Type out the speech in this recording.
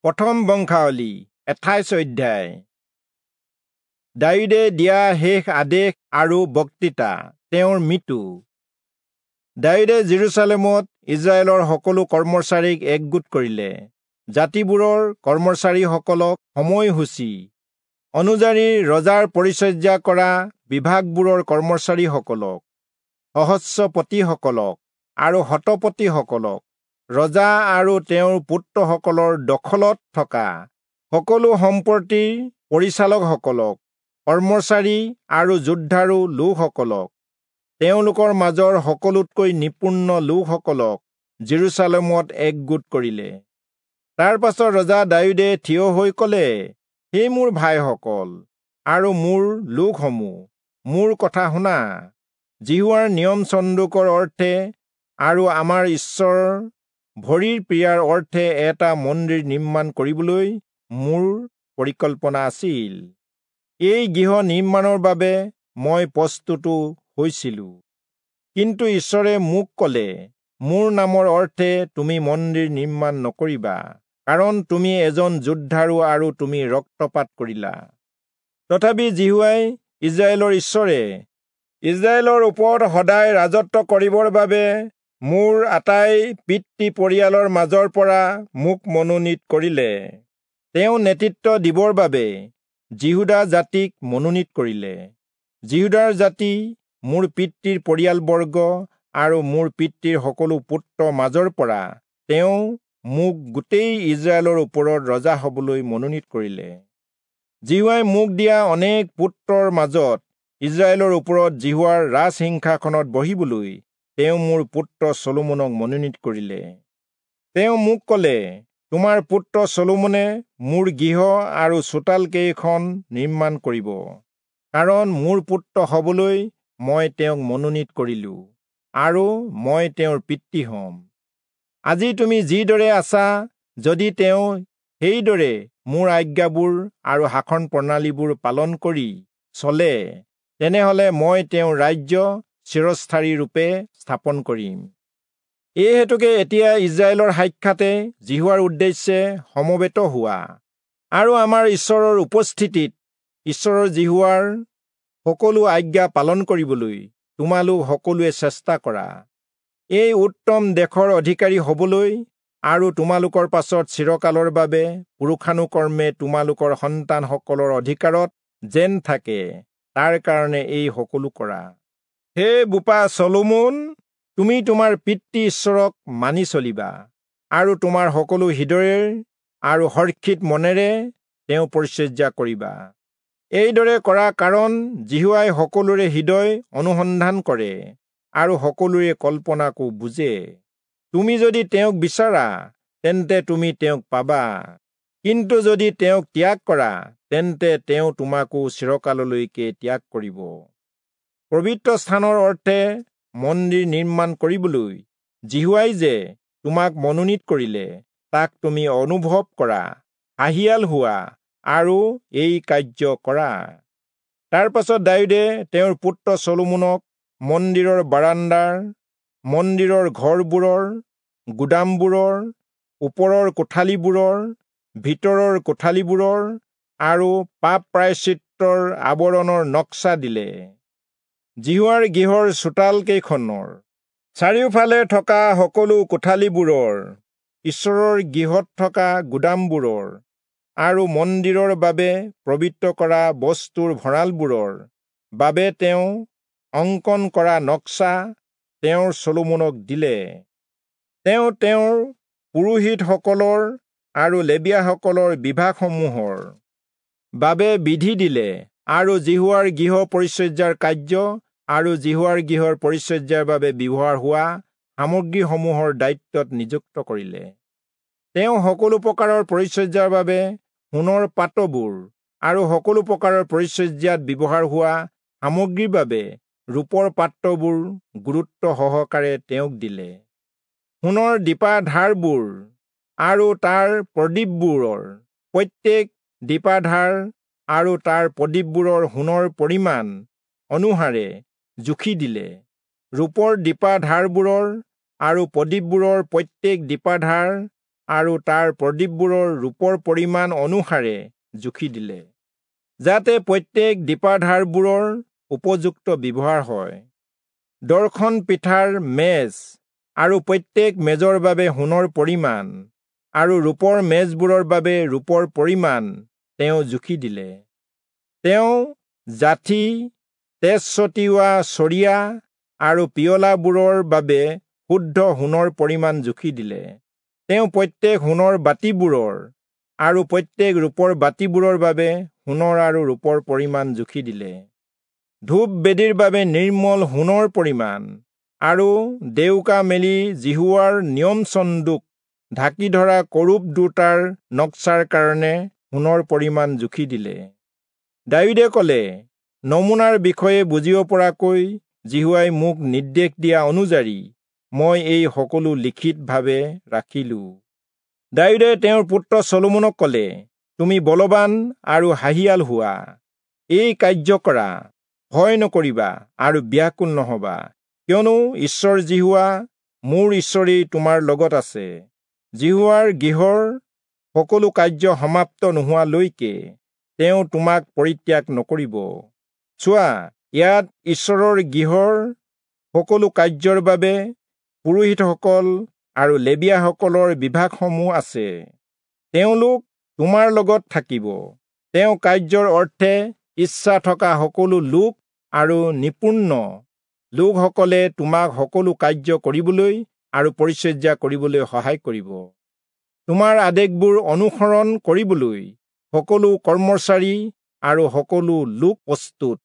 প্ৰথম বংশাৱলী 28 অধ্যায়। দায়ূদে দিয়া শেষ আদেশ আৰু বক্তৃতা, তেওঁৰ মৃত্যু। দায়ূদে যিৰূচালেমত ইস্ৰায়েলৰ সকলো কৰ্মচাৰীক একগোট কৰিলে। জাতিবোৰৰ কৰ্মচাৰীসকলক সময়সূচী অনুযায়ী ৰজাৰ পৰিচৰ্যা কৰা বিভাগবোৰৰ কৰ্মচাৰীসকলক, সহস্ৰপতিসকলক আৰু শতপতিসকলক, ৰজা আৰু তেওঁৰ পুত্ৰসকলৰ দখলত থকা সকলো সম্পত্তিৰ পৰিচালকসকলক, কৰ্মচাৰী আৰু যোদ্ধাৰু লোকসকলক, তেওঁলোকৰ মাজৰ সকলোতকৈ নিপুণ লোকসকলক যিৰূচালেমত একগোট কৰিলে। তাৰ পাছত ৰজা দায়ূদে থিয় হৈ ক'লে, হে মোৰ ভাইসকল আৰু মোৰ লোকসমূহ, মোৰ কথা শুনা। যিহোৱাৰ নিয়ম চন্দুকৰ অৰ্থে আৰু আমাৰ ঈশ্বৰৰ ভৰিৰ পীড়াৰ অৰ্থে এটা মন্দিৰ নিৰ্মাণ কৰিবলৈ মোৰ পৰিকল্পনা আছিল। এই গৃহ নিৰ্মাণৰ বাবে মই প্ৰস্তুতো হৈছিলো। কিন্তু ঈশ্বৰে মোক ক'লে, মোৰ নামৰ অৰ্থে তুমি মন্দিৰ নিৰ্মাণ নকৰিবা, কাৰণ তুমি এজন যোদ্ধাৰু আৰু তুমি ৰক্তপাত কৰিলা। তথাপি যিহোৱাই ইস্ৰায়েলৰ ঈশ্বৰে ইস্ৰায়েলৰ ওপৰত সদায় ৰাজত্ব কৰিবৰ বাবে মোৰ আটাই পিতৃ পৰিয়ালৰ মাজৰ পৰা মোক মনোনীত কৰিলে। তেওঁ নেতৃত্ব দিবৰ বাবে যিহূদা জাতিক মনোনীত কৰিলে। যিহূদাৰ জাতি মোৰ পিতৃৰ পৰিয়ালবৰ্গ আৰু মোৰ পিতৃৰ সকলো পুত্ৰৰ মাজৰ পৰা তেওঁ মোক গোটেই ইস্ৰায়েলৰ ওপৰত ৰজা হবলৈ মনোনীত কৰিলে। যিহোৱাই মোক দিয়া অনেক পুত্ৰৰ মাজত ইস্ৰায়েলৰ ওপৰত যিহোৱাৰ ৰাজসিংহাসনত বহিবলৈ তেওঁ মোৰ পুত্ৰ চলোমনক মনোনীত কৰিলে। তেওঁ মোক ক'লে, তোমাৰ পুত্ৰ চলোমনে মোৰ গৃহ আৰু চোতাল কেইখন নিৰ্মাণ কৰিব, কাৰণ মোৰ পুত্ৰ হবলৈ মই তেওঁক মনোনীত কৰিলো আৰু মই তেওঁৰ পিতৃ হ'ম। আজি তুমি যিদৰে আছা, যদি তেওঁ সেইদৰে মোৰ আজ্ঞাবোৰ আৰু শাসন প্ৰণালীবোৰ পালন কৰি চলে, তেনেহলে মই তেওঁৰ ৰাজ্য চিৰস্থায়ী ৰূপে স্থাপন কৰিম। এই হেতুকে এতিয়া ইস্ৰায়েলৰ সাক্ষাতে যিহোৱাৰ উদ্দেশ্যে সমবেত হোৱা আৰু আমাৰ ঈশ্বৰৰ উপস্থিতিত ঈশ্বৰৰ যিহোৱাৰ সকলো আজ্ঞা পালন কৰিবলৈ তোমালোক সকলোৱে চেষ্টা কৰা। এই উত্তম দেশৰ অধিকাৰী হবলৈ আৰু তোমালোকৰ পাছত চিৰকালৰ বাবে পুৰুষানুকৰ্মে তোমালোকৰ সন্তানসকলৰ অধিকাৰত যেন থাকে, তাৰ কাৰণে এই সকলো কৰা। হে বোপা চলোমন, তুমি তোমাৰ পিতৃ ঈশ্বৰক মানি চলিবা আৰু তোমাৰ সকলো হৃদয়েৰ আৰু হৰ্ষিত মনেৰে তেওঁ পৰিচৰ্যা কৰিবা। এইদৰে কৰা, কাৰণ যিহোৱাই সকলোৰে হৃদয় অনুসন্ধান কৰে আৰু সকলোৰে কল্পনাকো বুজে। তুমি যদি তেওঁক বিচাৰা, তেন্তে তুমি তেওঁক পাবা, কিন্তু যদি তেওঁক ত্যাগ কৰা, তেন্তে তেওঁ তোমাকো চিৰকাললৈকে ত্যাগ কৰিব। পবিত্ৰ স্থানৰ অৰ্থে মন্দিৰ নিৰ্মাণ কৰিবলৈ যিহোৱাই যে তোমাক মনোনীত কৰিলে, তাক তুমি অনুভৱ কৰা, সাহিয়াল হোৱা আৰু এই কাৰ্য কৰা। তাৰ পাছত দায়ূদে তেওঁৰ পুত্ৰ চলোমনক মন্দিৰৰ বাৰাণ্ডাৰ, মন্দিৰৰ ঘৰবোৰৰ, গুদামবোৰৰ, ওপৰৰ কোঠালিবোৰৰ, ভিতৰৰ কোঠালিবোৰৰ আৰু পাপ প্ৰায়শ্চিত্তৰ আৱৰণৰ নক্সা দিলে। যিহোৱাৰ গৃহৰ চোতাল কেইখনৰ চাৰিওফালে থকা সকলো কোঠালিবোৰৰ, ঈশ্বৰৰ গৃহত থকা গুদামবোৰৰ আৰু মন্দিৰৰ বাবে পবিত্ৰ কৰা বস্তুৰ ভঁৰালবোৰৰ বাবে তেওঁ অংকন কৰা নক্সা তেওঁৰ চলোমনক দিলে। তেওঁ তেওঁৰ পুৰোহিতসকলৰ আৰু লেবীয়াসকলৰ বিভাগসমূহৰ বাবে বিধি দিলে আৰু যিহোৱাৰ গৃহ পৰিচৰ্যাৰ কাৰ্য আৰু যিহোৱাৰ গৃহৰ পৰিচৰ্যাৰ বাবে ব্যৱহাৰ হোৱা সামগ্ৰীসমূহৰ দায়িত্বত নিযুক্ত কৰিলে। তেওঁ সকলো প্ৰকাৰৰ পৰিচৰ্যাৰ বাবে সোণৰ পাত্ৰবোৰ আৰু সকলো প্ৰকাৰৰ পৰিচৰ্যাত ব্যৱহাৰ হোৱা সামগ্ৰীৰ বাবে ৰূপৰ পাত্ৰবোৰ গুৰুত্ব সহকাৰে তেওঁক দিলে। সোণৰ দীপাধাৰবোৰ আৰু তাৰ প্ৰদীপবোৰৰ প্ৰত্যেক দীপাধাৰ আৰু তাৰ প্ৰদীপবোৰৰ সোণৰ পৰিমাণ অনুসাৰে জুখি দিলে। ৰূপৰ দীপাধাৰবোৰৰ আৰু প্ৰদীপবোৰৰ প্ৰত্যেক দীপাধাৰ আৰু তাৰ প্ৰদীপবোৰৰ ৰূপৰ পৰিমাণ অনুসাৰে জুখি দিলে, যাতে প্ৰত্যেক দীপাধাৰবোৰৰ উপযুক্ত ব্যৱহাৰ হয়। দৰ্শন পিঠাৰ মেজ আৰু প্ৰত্যেক মেজৰ বাবে সোণৰ পৰিমাণ আৰু ৰূপৰ মেজবোৰৰ বাবে ৰূপৰ পৰিমাণ তেওঁ জুখি দিলে। তেওঁ যাঠি, তেজ ছটিওৱা চৰিয়া আৰু পিয়লাবোৰৰ বাবে শুদ্ধ সোণৰ পৰিমাণ জুখি দিলে। তেওঁ প্ৰত্যেক সোণৰ বাতিবোৰৰ আৰু প্ৰত্যেক ৰূপৰ বাতিবোৰৰ বাবে সোণৰ আৰু ৰূপৰ পৰিমাণ জুখি দিলে। ধূপ বেদীৰ বাবে নিৰ্মল সোণৰ পৰিমাণ আৰু ডেউকা মেলি যিহোৱাৰ নিয়ম চন্দুক ঢাকি ধৰা কৰূব দুটাৰ নক্সাৰ কাৰণে সোণৰ পৰিমাণ জুখি দিলে। দায়ূদে ক'লে, নমুনাৰ বিষয়ে বুজিব পৰাকৈ যিহোৱাই মোক নিৰ্দেশ দিয়া অনুযায়ী মই এই সকলো লিখিতভাৱে ৰাখিলো। দায়ূদে তেওঁৰ পুত্ৰ চলোমনক ক'লে, তুমি বলৱান আৰু সাহিয়াল হোৱা, এই কাৰ্য কৰা, ভয় নকৰিবা আৰু ব্যাকুল নহবা, কিয়নো ঈশ্বৰ যিহোৱা মোৰ ঈশ্বৰেই তোমাৰ লগত আছে। যিহোৱাৰ গৃহৰ সকলো কাৰ্য সমাপ্ত নোহোৱালৈকে তেওঁ তোমাক পৰিত্যাগ নকৰিব। চোৱা, ইয়াত ঈশ্বৰৰ গৃহৰ সকলো কাৰ্যৰ বাবে পুৰোহিতসকল আৰু লেবীয়াসকলৰ বিভাগসমূহ আছে। তেওঁলোক তোমাৰ লগত থাকিব। তেওঁ কাৰ্যৰ অৰ্থে ইচ্ছা থকা সকলো লোক আৰু নিপুণ লোকসকলে তোমাক সকলো কাৰ্য কৰিবলৈ আৰু পৰিচৰ্যা কৰিবলৈ সহায় কৰিব। তোমাৰ আদেশবোৰ অনুসৰণ কৰিবলৈ সকলো কৰ্মচাৰী আৰু সকলো লোক প্ৰস্তুত।